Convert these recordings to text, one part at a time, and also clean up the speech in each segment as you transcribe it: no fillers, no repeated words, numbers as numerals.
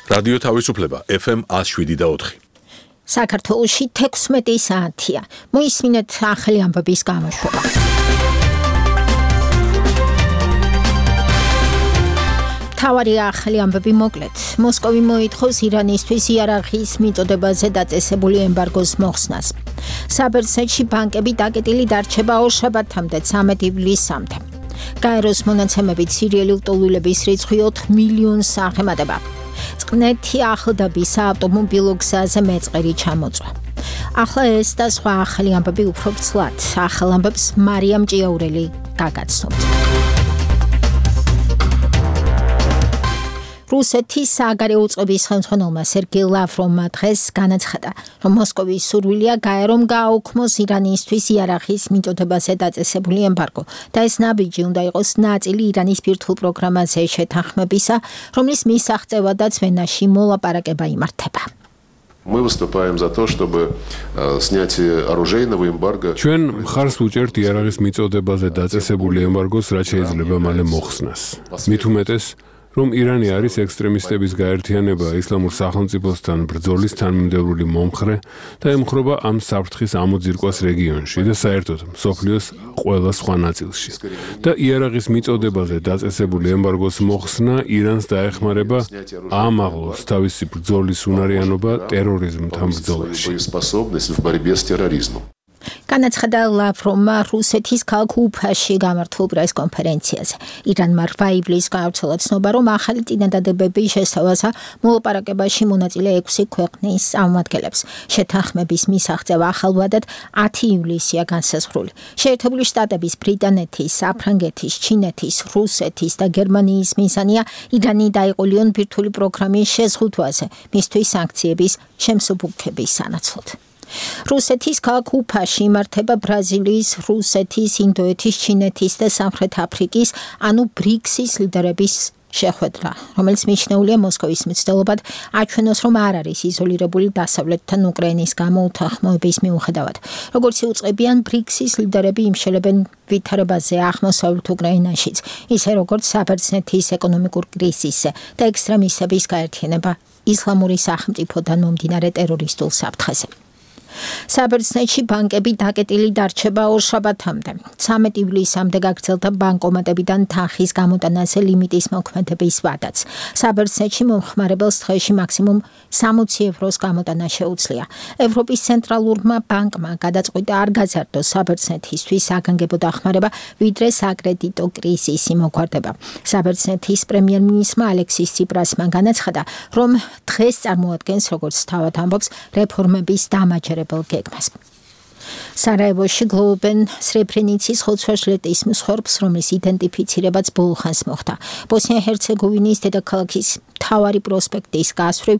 რადიო თავისუფლება FM 107.4. საქართველოში 16 საათია. მოისმინეთ ახალი ამბების გამოშვება. თავარი ახალი ამბები მოკლედ. მოსკოვი მოითხოვს ირანისთვის იარაღის მიწოდებაზე დაწესებული ემბარგოს მოხსნას. საბერძნეთში ბანკები დაკეტილი დარჩება ორშაბათამდე 13 ივლისამდე. გაეროს მონაცემებით სირიელი ლტოლვილების რიცხვი 4 მილიონს აღემატება. წყნეთი ახლდაბის საავტომობილო გზაზე მეწყერი ჩამოწვა. ახლა ეს და სხვა ახალი ამბები უფრო ვრცლად. ახალ ამბებს მარიამ ჭიაურელი გაგაცნობთ. რუსეთის საგარეო უწყების ხელმძღვანელმა სერგეი ლავროვმა დღეს განაცხადა, რომ მოსკოვის სურვილია გაერომ გააუქმოს ირანისთვის იარაღის მიწოდებაზე დაწესებული ემბარგო და ეს ნაბიჯი უნდა იყოს ნაწილი ირანის ბირთვულ პროგრამაზე შეთანხმებისა, რომლის მისაღწევადაც ვენაში მოლაპარაკება იმართება. Мы выступаем за то, чтобы снятие оружейного эмбарго. ჩვენ მხარს უჭერთ იარაღის მიწოდებაზე დაწესებული ემბარგოს, რაც შეიძლება მალე მოხსნას. მით უმეტეს, რომ ირანი არის ექსტრემისტების გაერთიანება ისლამურ სახელმწიფოსთან ბრძოლის თანმიმდევრული მომხრე და ემხრობა ამ საფრთხის ამოძირკვას რეგიონში და საერთოდ მსოფლიოს ყველა სხვა ნაწილში. და იარაღის მიწოდებაზე დაწესებული ემბარგოს მოხსნა ირანს დაეხმარება აამაღლოს თავისი ბრძოლის უნარიანობა ტერორიზმთან ბრძოლაში. განაცხადა ლავროვმა რუსეთის ქალაქ უფაში გამართულ პრესკონფერენციაზე. ირანმა 8 ივლისს გაავრცელა ცნობა, რომ ახალი წინადადებების შესთავაზა მოლაპარაკებაში მონაწილე 6 ქვეყნის წარმომადგენლებს. შეთანხმების მისაღწევა ახალბადად 10 ივლისია განსაზღვრული. შეერთებული შტატების, ბრიტანეთის, საფრანგეთის, ჩინეთის, რუსეთის და გერმანიის მიზანია ირანი დაიყოლიონ ბირთვული პროგრამის შეზღუდვაზე, მისთვის სანქციების შემსუბუქების სანაცვლოდ. რუსეთის ქალაქ უფაში იმართება ბრაზილიის, რუსეთის, ინდოეთის, ჩინეთის და სამხრეთ აფრიკის, ანუ ბრიქსის ლიდერების შეხვედრა, რომელიც მიჩნეულია მოსკოვის მცდელობად აჩვენოს, რომ არ არის იზოლირებული დასავლეთთან უკრაინის გამო უთანხმოების მიუხედავად. როგორც იუწყებიან, ბრიქსის ლიდერები იმშელებენ ვითარებაზე აღმოსავლეთ უკრაინაშიც, ისე როგორც საბერძნეთის ეკონომიკურ კრიზისზე და ექსტრემისტების გაერთიანება ისლამური სახელმწიფოდან მომდინარე ტერორისტულ საფრთხეზე. საბერძნეთში ბანკები დაკეტილი დარჩება ორშაბათამდე. 13 ივლისამდე გაგრძელდა ბანკომატებიდან თანხის გამოტანაზე ლიმიტის მოქმედების ვადაც. საბერძნეთში მომხმარებელს დღეში მაქსიმუმ 60 ევროს გამოტანა შეუძლია. ევროპის ცენტრალურმა ბანკმა გადაწყვიტა არ გაზარდოს საბერძნეთისთვის საგანგებო დახმარება, ვიდრე საკრედიტო კრიზისი მოგვარდება. საბერძნეთის პრემიერ-მინისტრმა ალექსის ციპრასმა განაცხადა, რომ დღეს წარმოადგენს, როგორც თავად ამბობს, რეფორმების დამაჯერებელ გეგმას. სარაევოში გლოვობენ სრებრენიცის ხოცვა-ჟლეტის მსხვერპლს, რომლის იდენტიფიცირებაც ბოლო ხანს მოხდა. ბოსნია-ჰერცეგოვინის დედაქალაქის მთავარი პროსპექტის გასწვრივ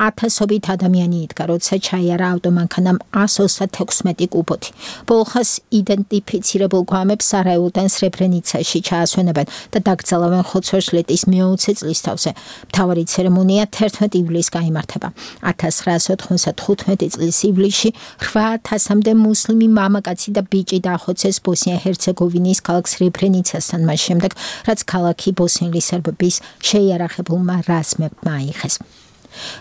ათასობით ადამიანი იდგა, როცა ჩაიარა ავტომანქანამ 136 კუბოთი. ბოლო ხანს იდენტიფიცირებულ გვამებს სარაევოდან სრებრენიცაში ჩაასვენებენ და დაკრძალავენ ხოცვა-ჟლეტის მე-20 წლისთავზე. მთავარი ცერემონია 11 ივლისს გაიმართება. 1995 წლის ივლისში 8000-მდე მუსლიმი მამაკაცი და ბიჭი დაახოცეს ბოსნია-ჰერცეგოვინის ქალაქ სრებრენიცასთან მას შემდეგ, რაც ქალაქი ბოსნიელი სერბების შეიარაღებულმა რაზმებმა აიღეს.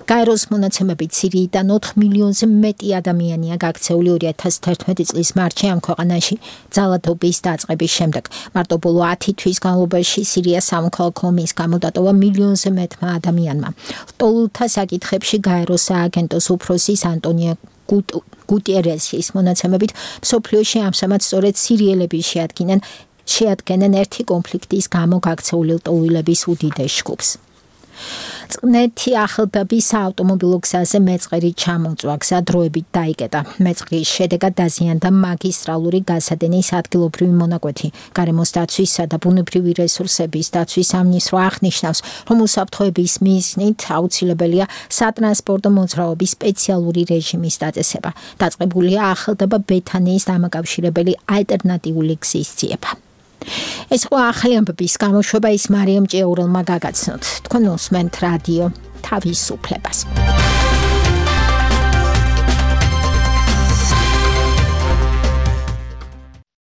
გაეროს მონაცემებით სირიიდან 4 მილიონზე მეტი ადამიანია გაქცეული 2011 წლის მარტში ამ ქვეყანაში ძალადობის დაწყების შემდეგ. მარტო ბოლო 10 თვის განმავლობაში სირიას სამოქალაქო ომის გამო დატოვა მილიონზე მეტმა ადამიანმა. ლტოლვილთა საკითხებში გაეროს სააგენტოს უფროსის ანტონია გუტიერესის მონაცემებით მსოფლიოში ამჟამად სწორედ სირიელები შეადგენენ ერთი კონფლიქტის გამო გაქცეული ლტოლვილების უდიდეს ჯგუფს. წყნეთი ახლდაბის საავტომობილო გზაზე მეწყერი ჩამოწვა, გზა დროებით დაიკეტა. მეწყრის შედეგად დაზიანდა მაგისტრალური გასადენის ადგილობრივი მონაკვეთი. გარემოს დაცვისა და ბუნებრივი რესურსების დაცვის სამინისტრო აღნიშნავს, რომ უსაფრთხოების მიზნით აუცილებელია სატრანსპორტო მოძრაობის სპეციალური რეჟიმის დაწესება. დაწყებულია ახლდაბა ბეთანიის დამაკავშირებელი ალტერნატიული გზის ძიება. ეს იყო ახალი ამბების გამოშვება, ის მარიამ ჭიაურელმა გაგაცნოთ. თქვენ უსმენთ რადიო თავისუფლებას.